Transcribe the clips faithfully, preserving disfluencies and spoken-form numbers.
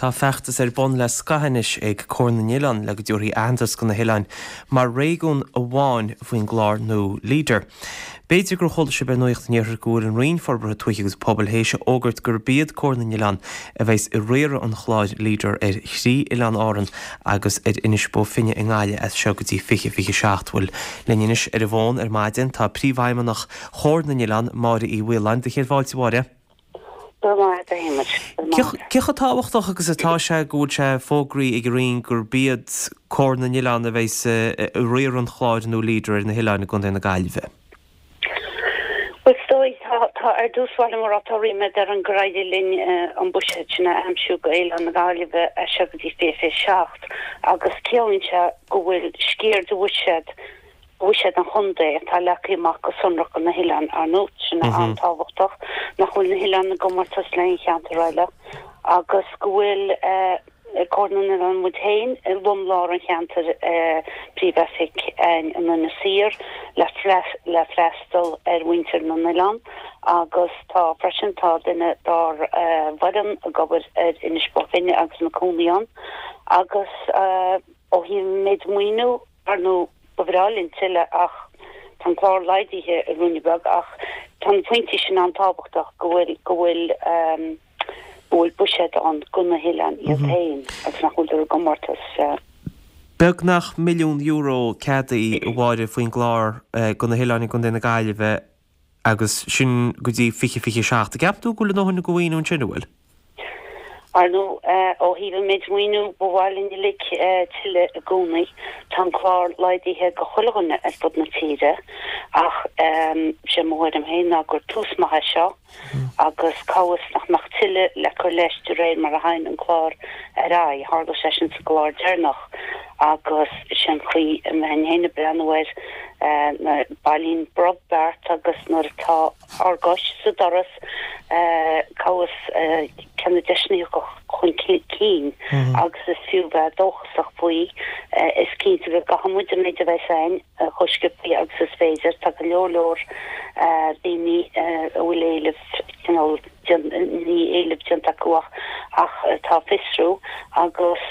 Tá feachtas ar bun le scaitheamh anois ag Comhar na nOileán le go dtabharfaí aitheantas do na hoileáin mar réigiún amháin faoin gclár nua Leader. B'fhéidir gur chuala sibh ar Nuacht an Iarthair go bhfuil an Roinn Forbartha Tuaithe agus Pobail théis a fhógairt gurb iad Comhar na nOileán a bheas ag riaradh an chláir Leader ar thrí oileán Árann agus ar Inis Bó Finne i nGaillimh as seo go dtí fiche fiche seacht. Bhuel linn anois ar an bhfón ar maidin tá príomhfheidhmeannach Chomhar na nOileán Máire Uí Mhaoláin do chéad fáilte Mháire. Cé chomh tábhachtach agus atá sé go bhfuil sé fógraithe ag an Roinn gurb iad Comhar na nOileán a bheas ag riaradh an chláir nua Leader ar na hoileáin i gContae na Gaillimhe. Well stoi tá tá ar dtús báire mar tá ríméad orainn gur éirigh linn an buiséad sin a aimsiú go Oileán na Gaillimhe as seo go dtí fiche seacht agus ciallaíonn sé go bhfuil sciar de bhuiséad buiséad an chontae atá leagtha amach go sonrach do na hoileáin ar ndóigh sin an-tábhachtach nach bhfuil na hoileáin i gcomórtas le haon cheantar eile agus go bhfuil Comhar na nOileán muid féin i lomlár an cheantair príomhoifig in Inis Oírr le le freastal ar mhuintir na n-oileán agus tá freisin tá duine dár bhfoireann ag obair ar Inis Bó Finne agus na cónaí ann agus ó thaobh méid maoiniú ar ndóigh ba bhreá linn tuilleadh ach tá an clár laghdaithe i ruainne beag ach tá na pointí sin an-tábhachtach go bhfuil go bhfuil go bhfuil buiséad ann do na hoileáin iad féin agus nach bhfuil i gcomórtas. Beagnach milliún euro ceadaithe a Mháire faoin gclár do na hoileáin i gContae na Gaillimhe agus sin go dtí fiche fiche seacht. Ceapann tú go bhfuil a ndóthain de mhaoiniú ansin an bhfuil? Ar ndóigh ó thaobh an méid maoiniú ba mhaith linn uilig tuilleadh i gcónaí. Tá an clár laghdaithe go chuile dhuine ar fud na tíre ach sé mo thuairim féin ná gur tús maith é seo agus cá bhfios nach mbeadh tuilleadh le cur leis de réir mar a théann an clár ar aghaidh. Tharla sé sin sa gclár deireanach agus sin an chaoi a mbeinn féin ag breathnú air na bailíonn brobh beart agus nuair atá ár gcois sa doras cá bhfios cé na deiseanna chun cinn agus is fiú bheith dóchasach faoi is cinnte go gcaithfidh muid an méid a bheas againn chomh sciobtha agus is féidir tá go leor leor daoine a bhfuil éileamh cineál ní éileamh déanta acu ach ach atá ag fiosrú agus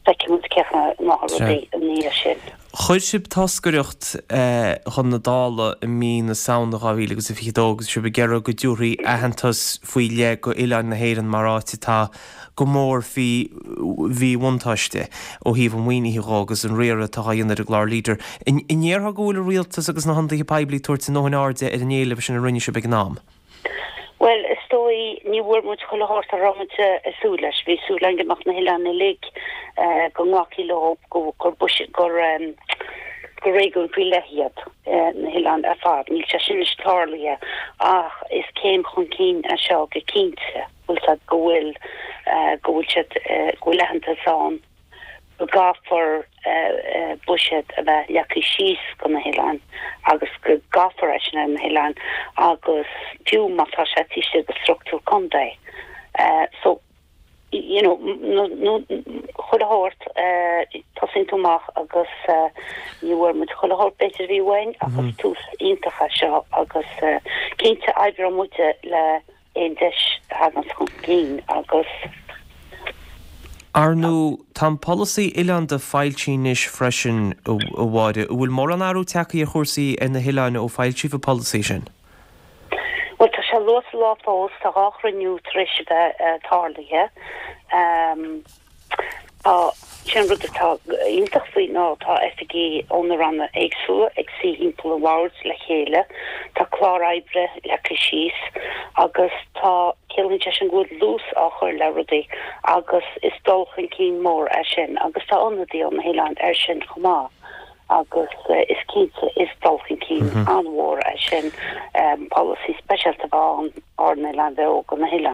feicfidh muid cé na rudaí an ní sin. Chuir sibh toscaireacht chun na Dála i mí na Samhna dhá mhíle agus a fiche dó agus sibh ag iarraidh go dtabharfaí aitheantas faoi leith go oileáin na hÉireann mar áit atá go mór faoi mhíbhuntáiste ó thaobh an mhaoinithe dhó agus an riaradh atá á dhéanamh ar an gclár Leader. An ndéarfá go bhfuil an rialtas agus na hionadaithe poiblí ag tabhairt a ndóthain airde ar an éileamh sin a rinne sibh ag an am? Well is dóigh ní bhfuair muid chuile shórt a raibh muid ag súil leis. Bhí súil againn go mbeadh na hoileáin uilig go nglacfaí leo go gur gur gur réigiún faoi leith iad na hoileáin ar fad. Níl sé sin anois tarlaithe ach is céim chun cinn é seo go cinnte bhfuil go bhfuil go bhfuil siad go bhfuil aitheantas ann go gcaithfear buiséad a bheith leagtha síos do na hoileáin agus go gcaithfear é sin ar na hoileáin agus fiú má tá sé taobh istigh de struchtúr contae. So you know chuile shórt tosaíonn tú amach agus ní bhfuair muid chuile shórt b'fhéidir a bhí uainn ach is tús iontach é seo agus cinnte oibreoidh muid le aon deis a thagann chun cinn agus Ar ndóigh, tá an polasaí oileánda foilsithe anois freisin, a Mháire. An bhfuil mórán athrú tagtha ar chúrsaí ar na hoileáin ó foilsíodh an polasaí sin? Bhuel, tá sé luath sa lá fós, tá dhá chruinniú tar éis a bheith tarlaithe. Tá sin rud atá iontach faoi ná tá oifigigh ó na ranna éagsúla ag suí thimpeall an bhoird le chéile, tá clár oibre leagtha síos agus tá ciallaíonn sé sin go bhfuil dlús á chur le rudaí agus is dul chun cinn mór é sin agus tá ionadaí ó na hoileáin air sin chomh maith agus is cinnte is dul chun cinn an-mhór é sin polasaí speisialta bheith ann ár n-oileáin bheo do na hoileáin.